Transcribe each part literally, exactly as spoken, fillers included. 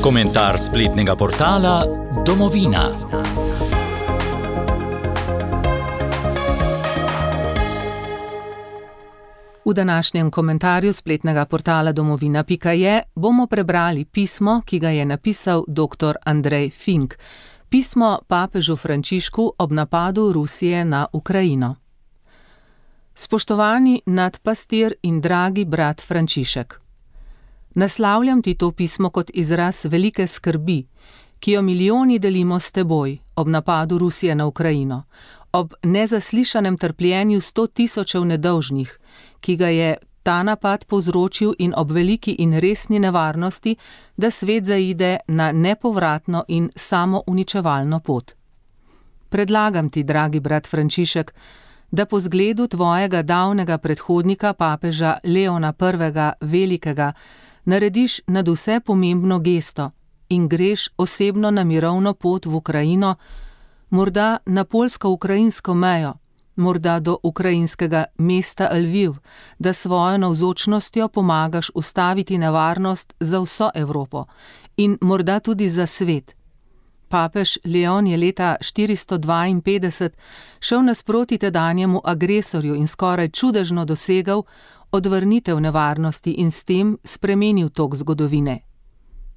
Komentar spletnega portala Domovina. V današnjem komentarju spletnega portala domovina pika je bomo prebrali pismo, ki ga je napisal dr. Andrej Fink. Pismo papežu Frančišku ob napadu Rusije na Ukrajino. Spoštovani nadpastir in dragi brat Frančišek. Naslavljam ti to pismo kot izraz velike skrbi, ki jo milijoni delimo s teboj ob napadu Rusije na Ukrajino, ob nezaslišanem trpljenju sto tisočev nedolžnih, ki ga je ta napad povzročil in ob veliki in resni nevarnosti, da svet zaide na nepovratno in samouničevalno pot. Predlagam ti, dragi brat Frančišek, da po zgledu tvojega davnega predhodnika papeža Leona prvega Velikega narediš nadvse pomembno gesto in greš osebno na mirovno pot v Ukrajino, morda na poljsko-ukrajinsko mejo, morda do ukrajinskega mesta Lviv, da svojo navzočnostjo pomagaš ustaviti nevarnost za vso Evropo in morda tudi za svet. Papež Leon je leta štiristo dvainpetdeset šel nasproti tedanjemu agresorju in skoraj čudežno dosegal odvrnitev nevarnosti in s tem spremenil tok zgodovine.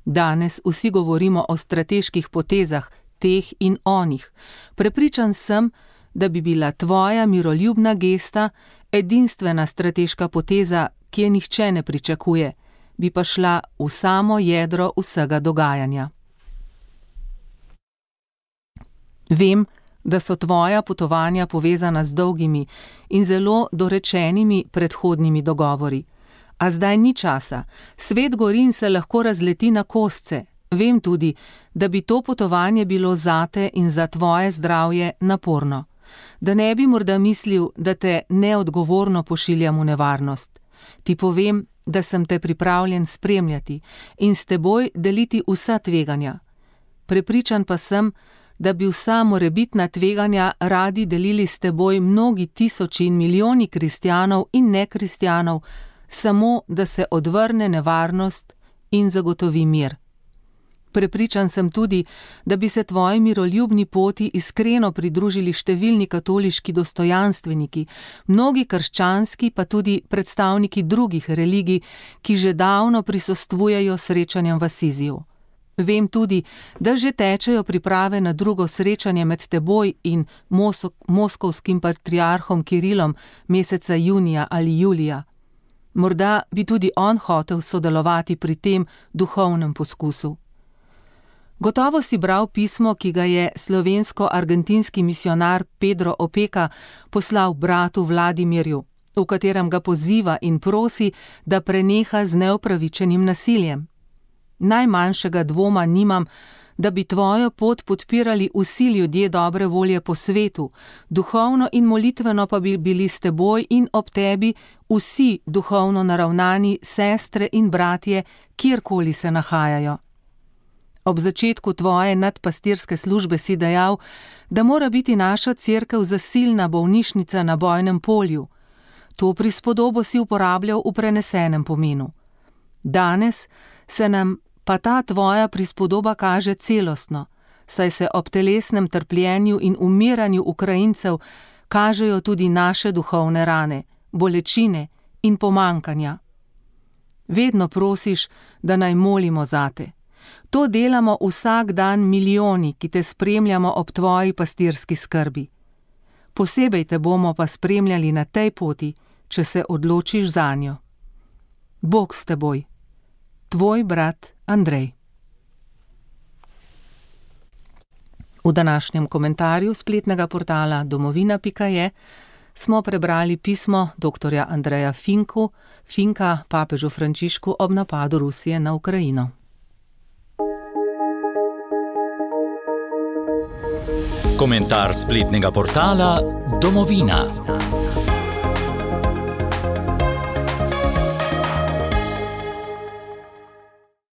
Danes vsi govorimo o strateških potezah, teh in onih. Prepričan sem, da bi bila tvoja miroljubna gesta edinstvena strateška poteza, ki je nihče ne pričakuje, bi pa šla v samo jedro vsega dogajanja. Vem, da so tvoja potovanja povezana z dolgimi in zelo dorečenimi predhodnimi dogovori. A zdaj ni časa, svet gori in se lahko razleti na kosce. Vem tudi, da bi to potovanje bilo zate in za tvoje zdravje naporno. Da ne bi morda mislil, da te neodgovorno pošiljam v nevarnost. Ti povem, da sem te pripravljen spremljati in s teboj deliti vsa tveganja. Prepričan pa sem, da bi vsa morebitna tveganja radi delili s teboj mnogi tisoči in milijoni kristjanov in nekristjanov, samo da se odvrne nevarnost in zagotovi mir. Prepričan sem tudi, da bi se tvoji miroljubni poti iskreno pridružili številni katoliški dostojanstveniki, mnogi krščanski pa tudi predstavniki drugih religij, ki že davno prisostvujejo srečanjem v Asiziju. Vem tudi, da že tečejo priprave na drugo srečanje med teboj in Mos- moskovskim patriarhom Kirilom meseca junija ali julija. Morda bi tudi on hotel sodelovati pri tem duhovnem poskusu. Gotovo si bral pismo, ki ga je slovensko-argentinski misionar Pedro Opeka poslal bratu Vladimirju, v katerem ga poziva in prosi, da preneha z neupravičenim nasiljem. Najmanjšega dvoma nimam, da bi tvojo pot podpirali vsi ljudje dobre volje po svetu, duhovno in molitveno pa bi bili s teboj in ob tebi vsi duhovno naravnani sestre in bratje, kjerkoli se nahajajo. Ob začetku tvoje nadpastirske službe si dejal, da mora biti naša cerkev zasilna bolnišnica na bojnem polju. To prispodobo si uporabljal v prenesenem pomenu. Danes se nam pa ta tvoja prispodoba kaže celostno, saj se ob telesnem trpljenju in umiranju Ukrajincev kažejo tudi naše duhovne rane, bolečine in pomankanja. Vedno prosiš, da naj molimo zate. To delamo vsak dan milijoni, ki te spremljamo ob tvoji pastirski skrbi. Posebej te bomo pa spremljali na tej poti, če se odločiš zanjo. Bog s teboj. Tvoj brat Andrej. V današnjem komentarju spletnega portala domovina pika je smo prebrali pismo dr. Andreja Finku, Finka papežu Frančišku ob napadu Rusije na Ukrajino. Komentar spletnega portala Domovina.